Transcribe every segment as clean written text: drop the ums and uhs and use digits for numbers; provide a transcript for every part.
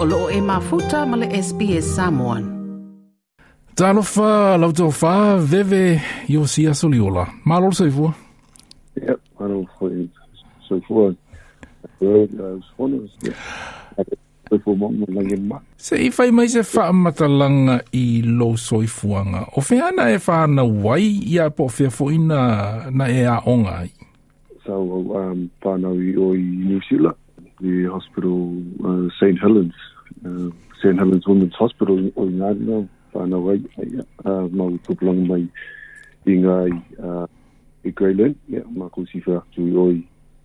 O loo e mafuta ma le SBS Samoan. Talofa lau tofa Veve Iosia Soliola. Malo le soifua. Yep, malo foi soifua. Se i fai mai se faamatalaga i lou soifuaga, o fea na e fanau ai ia po o fea foʻi na e aoga ai? Sa ou whanau i o i New Zealand, the hospital St. Helens, St. Helens Women's Hospital o i ngā ngā whanau ai, mau tupulanga mai i ngā i Grey Lynn, yeah, ma ko sifa atu i oi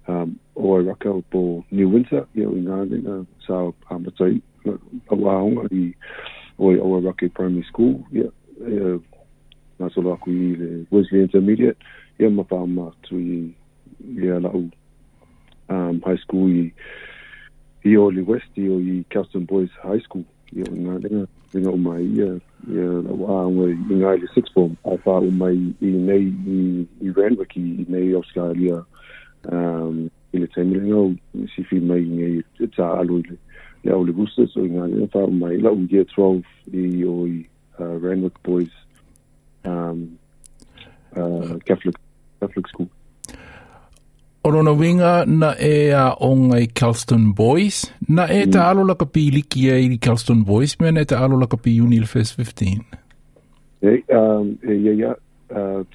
o Wairaka o po New Windsor, yeah, o i ngā ngā sa amatai au aonga i oi Owairaka Primary School, yeah, ngā solo aku i le Wesley Intermediate, yeah, ma whaama atu i ia lau high school i Oli West, i o i Kelston Boys High School, ia o ngā lenga, lenga o mai ia, ia lau aonga i ngā i le sixth form, ai wha o mai i nei i Randwick, i nei Australia, i le taimi lenga o sifi mai i nei e tā alo i le au le Roosters, o i ngā lenga wha o mai lau year 12 i o i Randwick Boys Catholic School. O lona winga na e a onga i Kelston Boys, na e ta alo laka pi liki e i Kelston Boys, me na e ta alo laka pi uni le First 15. E, ia,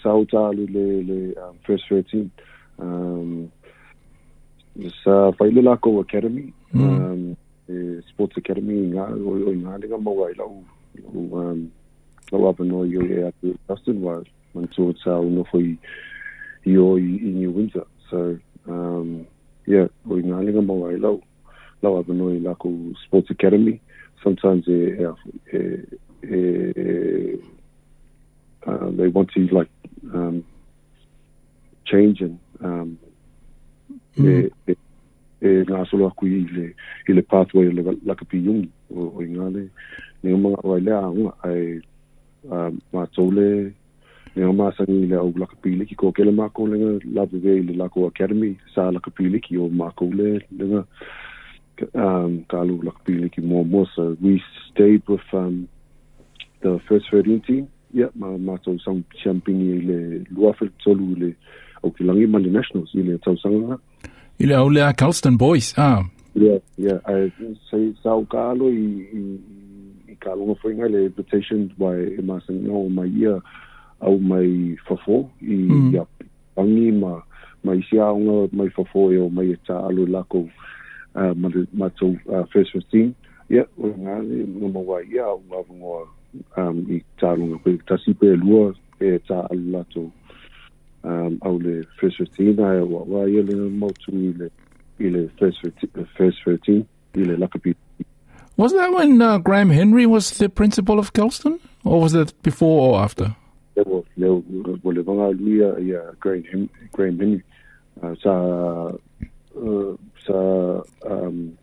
tau ta alo le First 13. Sa whaile lako Academy, Sports Academy, ngā, o ngā lenga maua i lau, lau apanoa i o e atu Kelston, wa mantua tau nofo i o i New Windsor. So, yeah, o i ngā lenga maua i lau apanoa i lako Sports Academy. Sometimes they want to like change and e ngā solo aku i le pathway o le lakapi yungi o i ngā le mga o ai lea aunga ai mātou le ngā māsangi i le au lakapiliki ko kele mākou lenga lawe i le lako academy sa lakapiliki o mākou le lenga kalu lakapiliki mua. So we stayed with the First 13 team. Yeah, mātou sang champini i le luafe tolu i le au ki langi ma le Nationals i le tausanga. I le au lea Kelston Boys, ah. Yeah, yeah. I say sa o kaalo i kalonga whainga le invitation by e māsangi o mai ia au mai fafo i ia pangi ma isi aonga mai fafo e o mai e tā alo lako ma tau First 15. Yeah, o ngā le ngā mawa ia au ngā vangoa i tālonga koe tasi pe lua e tā alo lato au le First 15 ai wa ia le mautu i le First 13 i le lakapi. Was that when Graham Henry was the principal of Kelston, or was that before or after? Le le vanga luia ia Graham Henry sa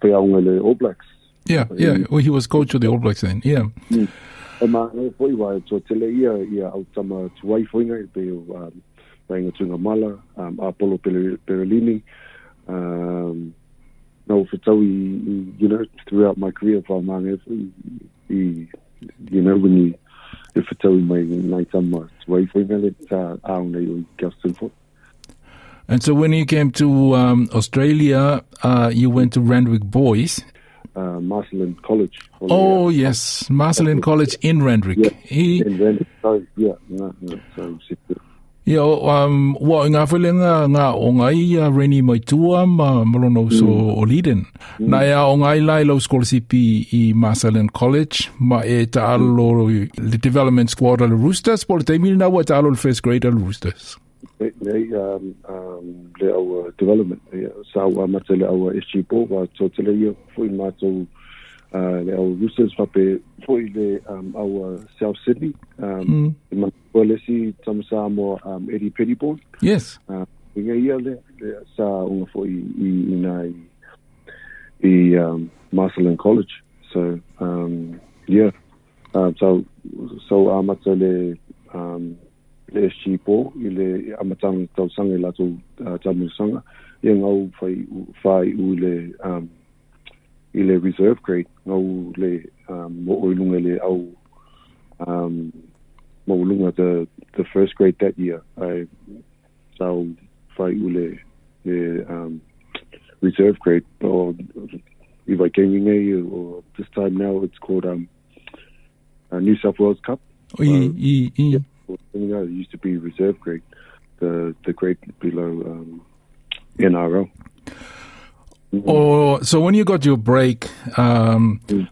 peaunga le All Blacks. Yeah, yeah. Well, he was coach of the All Blacks then. Yeah. E ma nei foi wa to tele ia au tama tuai foinga i pe o Paenga Tunga Mala, Apollo Perelini, no whataui, you know, throughout my career, pa māngai i, you know, when you whataui mai nai tama tuai foinga le tā ao nei o i Kelston Fort. And so when you came to Australia, you went to Randwick Boys. Marcellin College. Oh, yes, Marcellin College in Randwick. Yeah, in Randwick. So, yeah, no, so, ia, ua ngā whalenga ngā o ngai Reni Maitua ma malono so o Leiden. Na ea o ngai lai lau scholarship i Marcellin College ma e ta'alo le development squad a le Roosters po le taimi na ua ta'alo le first grade a le Roosters. Nei, le au development, sa ua mata le au SG Ball, wa tōtele ia foi mātou le au Roosters fape foi le au South Sydney, i manua lesi tamasa mo Eddie Pettybourne. Yes. Inga ia le sa unga foi i nā i Marcellin College. So, yeah. So amata le le SG Ball i le amatanga tausanga i latou tamusanga ia ngau whai u le i le reserve grade ngau le mo i lunga le au mo lunga the first grade that year I so fai ule le reserve grade or if I came or this time now it's called New South Wales Cup. I. Yeah, it used to be reserve grade, the grade below NRL. Oh, so when you got your break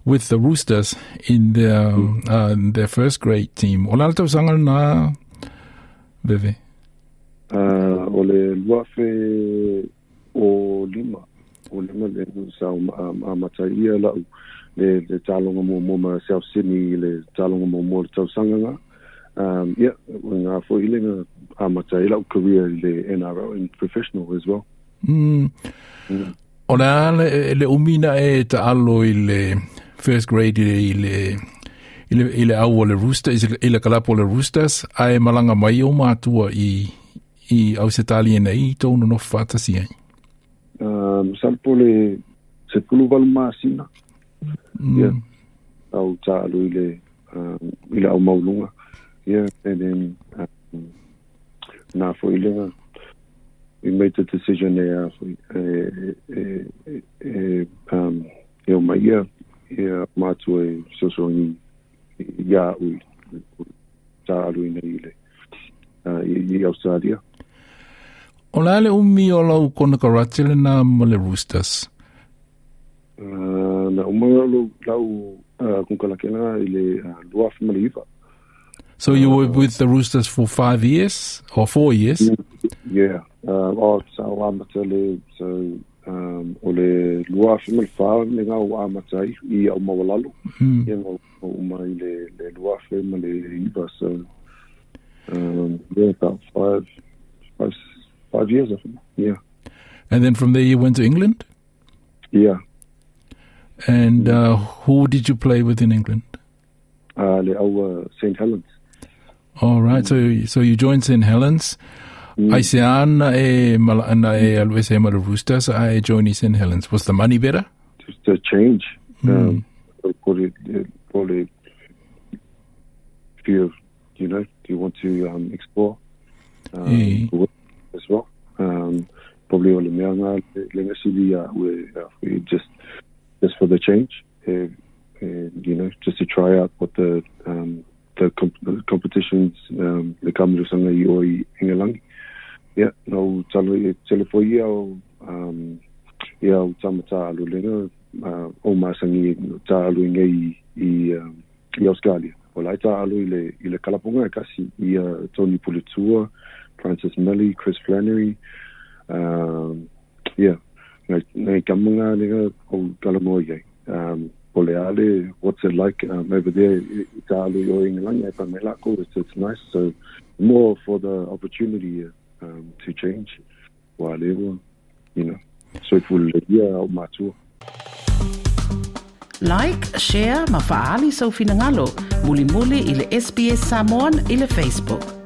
with the Roosters in their first grade team, o la tausaga na Veve? O le luafe o lima le sa amata ia lau le talonga mo ma South Sydney le talonga mo le tausaga nga. Yeah, ngā fo ile nga amata i lau career le NRL and professional as well. O la le umina e ta'alo i le first grade i le au o le Roosters, i le kalapo le Roosters, ae malanga mai o mātua i Ausetalia nei, tōnu no whātasi ai. Salpo le se pulu masina. Yeah. Au ta'alo i le au maulunga. Yeah, and then nā fo i lenga we made the decision e o mai ia mātua e sosoangi ia ui ta'alu ina i le i Australia. O la le umi o lau kona karate le nā ma le Roosters? Na umanga lau konkalakena i le luafi ma le iwa. So you were with the Roosters for 5 years or 4 years? Yeah. So amata le so o le luafi ma le wha le ngau amata i au mawalalo. Ia ngau uma i le luafi ma le iwa. So yeah, about 5 years, I think. Yeah. And then from there you went to England? Yeah. And who did you play with in England? Le au St. Helens. All right, so you joined St. Helens. I se ana e malana e always e ma Roosters. I joined St. Helens. Was the money better? Just a change. Probably if you know, do you want to explore as well? Probably all the meanga le we just for the change. You know, just to try out what the competitions le kamulusanga i o i Ingalangi. Yeah, no talo ia o ia o tamata alulenga o masangi ta alu i Australia. O lai ta alu i le kalaponga e kasi i Tony Puletua, Francis Melly, Chris Flannery. Yeah, ngai kamanga lenga o kalamoa iai. Oleale, what's it like over there? It's nice. So more for the opportunity to change. You know, so it will matua. Like, share, ma faali sau finangalo. Muli muli i le SBS Samoan i le Facebook.